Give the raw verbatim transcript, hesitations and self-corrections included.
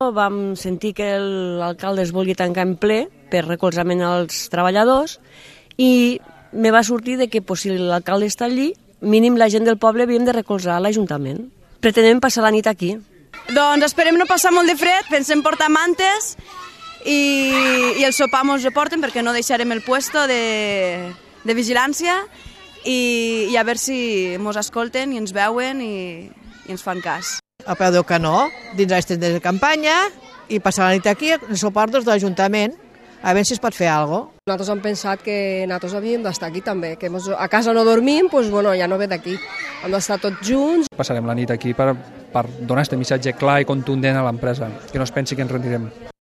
Vam sentir que l'alcalde es volia tancar en ple per recolzament als treballadors i me va sortir de que pues, si l'alcalde està allí, mínim la gent del poble havíem de recolzar l'Ajuntament. Pretenem passar la nit aquí. Doncs esperem no passar molt de fred, pensem portar mantes i, i el sopar mos ho porten perquè no deixarem el puesto de, de vigilància i, i a veure si mos escolten i ens veuen i, i ens fan cas. A peu del canó, dins les tendes de campanya i passar la nit aquí en suport de l'Ajuntament a veure si es pot fer alguna cosa. Nosaltres hem pensat que nosaltres havíem d'estar aquí també, que mos, a casa no dormim, doncs bueno, ja no ve d'aquí. Hem d'estar tots junts. Passarem la nit aquí per, per donar aquest missatge clar i contundent a l'empresa, que no es pensi que ens rendirem.